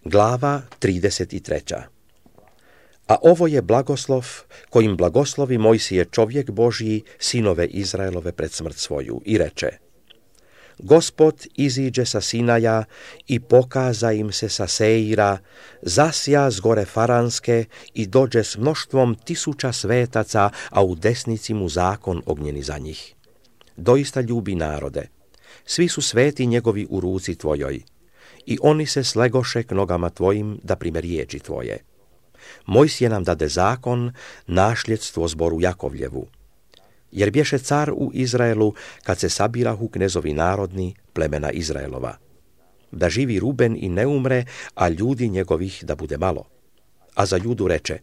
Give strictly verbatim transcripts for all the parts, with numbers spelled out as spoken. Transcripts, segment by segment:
Glava trideset tri. A ovo je blagoslov kojim blagoslovi Mojsije čovjek Božji sinove Izraelove pred smrt svoju i reče: Gospod iziđe sa Sinaja i pokaza im se sa Seira, zasja s gore Faranske i dođe s mnoštvom tisuća svetaca, a u desnici mu zakon ognjeni za njih. Doista ljubi narode, svi su sveti njegovi u ruci tvojoj, i oni se slegoše k nogama tvojim da prime riječi tvoje. Mojsije nam dade zakon, našljedstvo zboru Jakovljevu. Jer bješe car u Izraelu kad se sabirahu knezovi narodni plemena Izraelova. Da živi Ruben i ne umre, a ljudi njegovih da bude malo. A za Judu reče: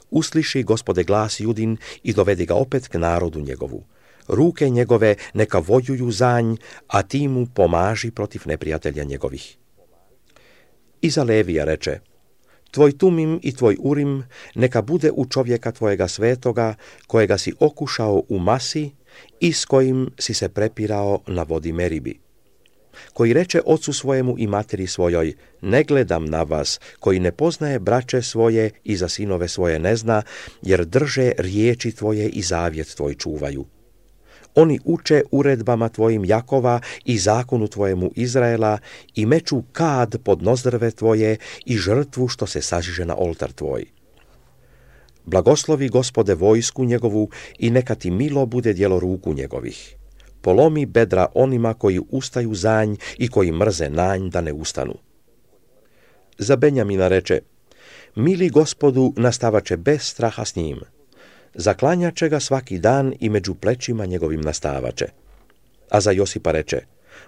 Usliši, Gospode, glas Judin i dovedi ga opet k narodu njegovu. Ruke njegove neka vojuju za nj, a ti mu pomaži protiv neprijatelja njegovih. I za Levija reče: Tvoj Tumim i tvoj Urim neka bude u čovjeka tvojega svetoga, kojega si okušao u Masi i s kojim si se prepirao na vodi Meribi. Koji reče ocu svojemu i materi svojoj: Ne gledam na vas, koji ne poznaje braće svoje i za sinove svoje ne zna, jer drže riječi tvoje i zavjet tvoj čuvaju. Oni uče uredbama tvojim Jakova i zakonu tvojemu Izraela i meču kad pod nozdrve tvoje i žrtvu što se sažiže na oltar tvoj. Blagoslovi, Gospode, vojsku njegovu i neka ti milo bude djelo ruku njegovih. Polomi bedra onima koji ustaju za nj i koji mrze na nj da ne ustanu. Za Benjamina reče: Mili Gospodu nastavače bez straha s njim. Zaklanjače ga svaki dan i među plećima njegovim nastavače. A za Josipa reče: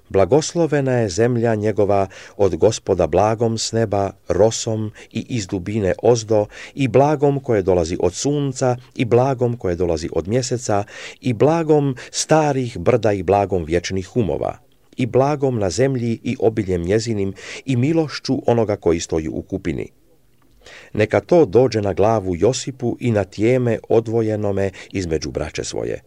Blagoslovena je zemlja njegova od Gospoda blagom s neba, rosom i iz dubine ozdo, i blagom koje dolazi od sunca, i blagom koje dolazi od mjeseca, i blagom starih brda i blagom vječnih humova, i blagom na zemlji i obiljem njezinim, i milošću onoga koji stoji u kupini. Neka to dođe na glavu Josipu i na tijeme odvojenome između braće svoje.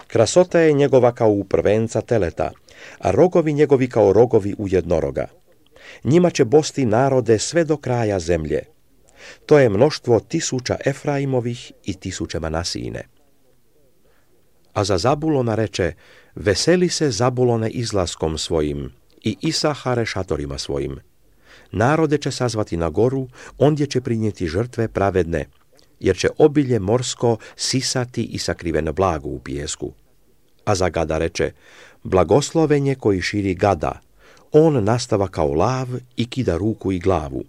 Krasota je njegova kao u prvenca teleta, a rogovi njegovi kao rogovi u jednoroga. Njima će bosti narode sve do kraja zemlje. To je mnoštvo tisuća Efraimovih i tisuće Manasijine. A za Zabulona reče: Veseli se, Zabulone, izlaskom svojim, i Isahare šatorima svojim. Narode će sazvati na goru, ondje će prinijeti žrtve pravedne, jer će obilje morsko sisati i sakriveno blago u pijesku. A za Gada reče: Blagoslovenje koji širi Gada, on nastava kao lav i kida ruku i glavu.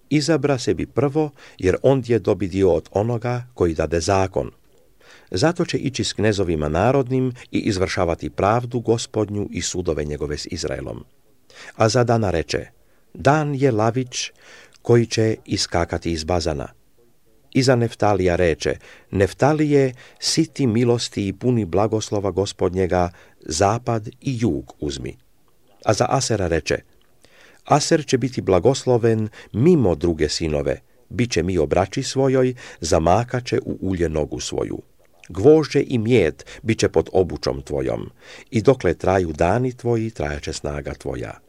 Izabra sebi prvo, jer ondje dobi dio od onoga koji dade zakon. Zato će ići s knezovima narodnim i izvršavati pravdu Gospodnju i sudove njegove s Izraelom. A za Dana reče: Dan je lavić koji će iskakati iz bazana. I za Neftalija reče: Neftalije, siti milosti i puni blagoslova Gospodnjega, zapad i jug uzmi. A za Asera reče: Aser će biti blagosloven mimo druge sinove, bit će mi obraći svojoj, zamakaće u ulje nogu svoju. Gvožđe i mjed bit će pod obučom tvojom, i dokle traju dani tvoji, trajaće snaga tvoja.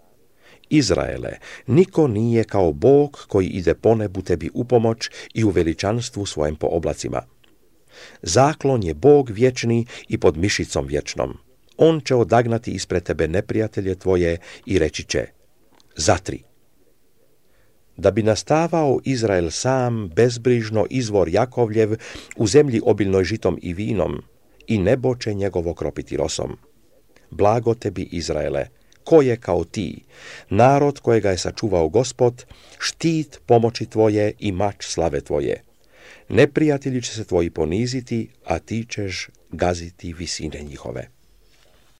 Izraele, niko nije kao Bog koji ide po nebu tebi u pomoć i u veličanstvu svojem po oblacima. Zaklon je Bog vječni i pod mišicom vječnom. On će odagnati ispred tebe neprijatelje tvoje i reći će: Zatri. Da bi nastavao Izrael sam, bezbrižno, izvor Jakovljev, u zemlji obilnoj žitom i vinom, i nebo će njegovo kropiti rosom. Blago tebi, Izraele, ko je kao ti, narod kojega je sačuvao Gospod, štit pomoći tvoje i mač slave tvoje. Neprijatelji će se tvoji poniziti, a ti ćeš gaziti visine njihove.